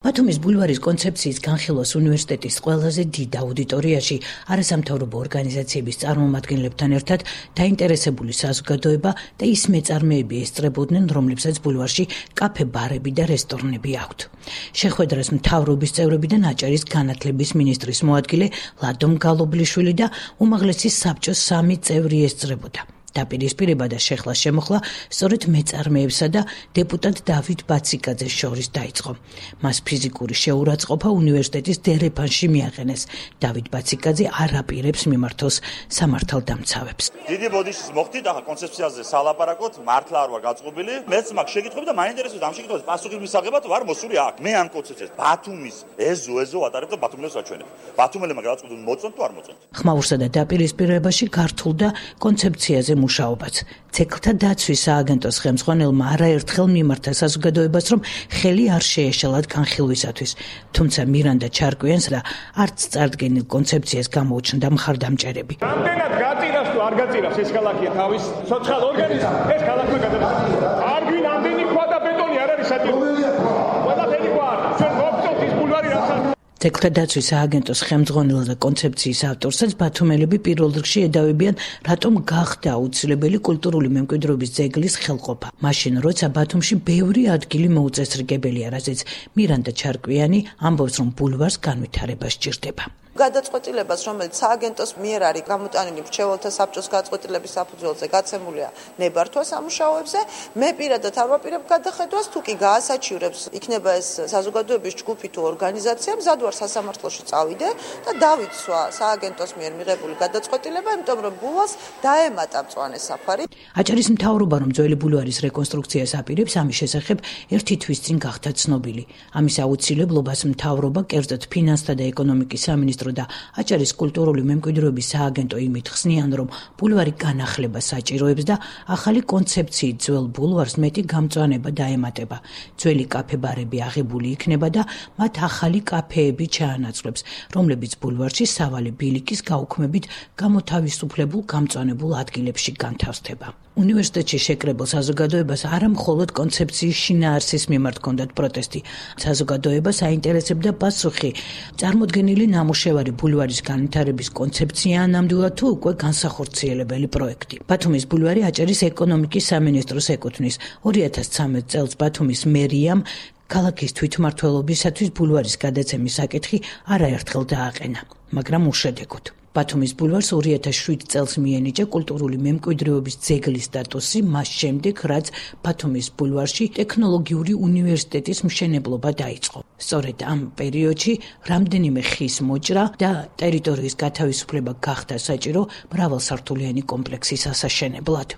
ბათუმის ბულვარის კონცეფციის განხილვას უნივერსიტეტის ყველაზე დიდ აუდიტორიაში არასამთავრობო ორგანიზაციების წარმომადგენლებთან ერთად დაინტერესებული საზოგადოება და ის მეწარმეები ესწრებოდნენ, რომლებსაც ბულვარში კაფე-ბარები და რესტორნები აქვთ. შეხვედრას მთავრობის წევრებიდან აჭარის განათლების მინისტრის მოადგილე ლადო მგალობლიშვილი და უმაღლესი საბჭოს 3 წევრი ესწრებოდა. დაპირისპირება და შეხლა შემოხლა სწორედ მეწარმეებსა და დეპუტატ დავით ბაციკაძეს შორის დაიწყო. მას ფიზიკური შეურაცხყოფა უნივერსიტეტის დერეფანში მიაყენეს. დავით ბაციკაძე არ აპირებს მიმართოს სამართალდამცავებს. დიდი ბოდიშის მოხდით, ახლა კონცეფციაზე სალაპარაკოთ, მართლა არ ვარ გაწყობილი. მეც მაგ შეკითხვები და მაინტერესებს ამ შეკითხვას პასუხის მისაღებად ვარ მოსული აქ. მე ამ კონცეფციას ბათუმის ეზო ატარებ და ბათუმელებს ვაჩვენებ. ბათუმელებმა გადაწყვეტონ მოწონთ თუ არ მოწონთ. ხმაურსა და დაპირისპირებაში გართულდა კონცეფციაზე მუშაობაც. ცეკლთა დაცვის სააგენტოს ხელმძღვანელმა არაერთხელ მიმართა საზოგადოებას, რომ ხელი არ შეეშალათ განხილვისათვის. თუმცა მირანდა ჩარკვიანს და არც წარდგენილ კონცეფციას გამოუჩნდა მხარდამჭერები. რამდენად გაწირავს თუ არ გაწირავს ეს ქალაქია თავის სოციალ ორგანიზმს, ეს ქალაქმა გადაწყვეტა. არ გვინ ამდენი ქვა და ბეტონი არ არის საჭირო. ყველაფერი ქვა არის. ჩვენ მოვწონთ ის ბულვარი რაც არის. ცეკლთა დაცვის სააგენტოს ხელმძღვანელ და კონცეფციის ავტორსაც ბათუმელები პირველ რიგში ედავებიან, რატომ გახდა აუცილებელი კულტურული მემკვიდრეობის ძეგლის ხელყოფა. მაშინ, როცა ბათუმში ბევრი ადგილი მოუწესრიგებელია, რაზეც მირანდა ჩარკვიანი ამბობს, რომ ბულვარს განვითარება სჭირდება. გადაწყვეტილებას, რომელიც სააგენტოს მიერ არის გამოტანილი მრჩეველთა საბჭოს გადაწყვეტილების საფუძველზე გაცემულია ნებართვა სამუშაოებზე, მე პირადად არ ვაპირებ გადახედვას, თუ კი გაასაჩივრებს იქნება ეს საზოგადოების ჯგუფი თუ ორგანიზაცია, მზად ვარ სასამართლოში წავიდე და დავიცვა სააგენტოს მიერ მიღებული გადაწყვეტილება, იმიტომ რომ ბულვარს დაემატა მწვანე საფარი. აჭარის მთავრობა, რომ ძველი ბულვარის რეკონსტრუქციას აპირებს, ამის შესახებ ერთი თვის წინ გახდა ცნობილი. ამის აუცილებლობას მთავრობა, კერძოდ ფინანსთა და ეკონომიკის სამინისტრო და აჭარის კულტურული მემკვიდრეობის სააგენტო იმით ხსნიან, რომ ბულვარი განახლება საჭიროებს და ახალი კონცეფციით ძველ ბულვარს მეტი გამწვანება დაემატება. ძველი კაფე-ბარები აღებული იქნება და მათ ახალი კაფეები ჩაანაცვლებს, რომლებიც ბულვარში სავალი ბილიკის გაუქმებით გამოთავისუფლებულ გამწვანებულ ადგილებში განთავსდება. უნივერსიტეტში შეკრებილ საზოგადოებას არა მხოლოდ კონცეფციის შინაარსის მიმართ ჰქონდათ პროტესტი. საზოგადოებას აინტერესებდა პასუხი, წარმოდგენილი ნამუშევარი ბულვარის განვითარების კონცეფცია ნამდვილად თუ უკვე განსახორციელებელი პროექტი. ბათუმის ბულვარი აჭარის ეკონომიკის სამინისტროს ეკუთვნის. 2013 წელს ბათუმის მერიამ ქალაქის თვითმმართველობისათვის ბულვარის გადაცემის საკითხი არაერთხელ დააყენა, მაგრამ უშედეგოდ. ბათუმის ბულვარს 2007 წელს მიენიჭა კულტურული მემკვიდრეობის ძეგლის სტატუსი, მას შემდეგ, რაც ბათუმის ბულვარში ტექნოლოგიური უნივერსიტეტის მშენებლობა დაიწყო. სწორედ ამ პერიოდში რამდენიმე ხის მოჭრა და ტერიტორიის გათავისუფლება გახდა საჭირო მრავალსართულიანი კომპლექსის ასაშენებლად.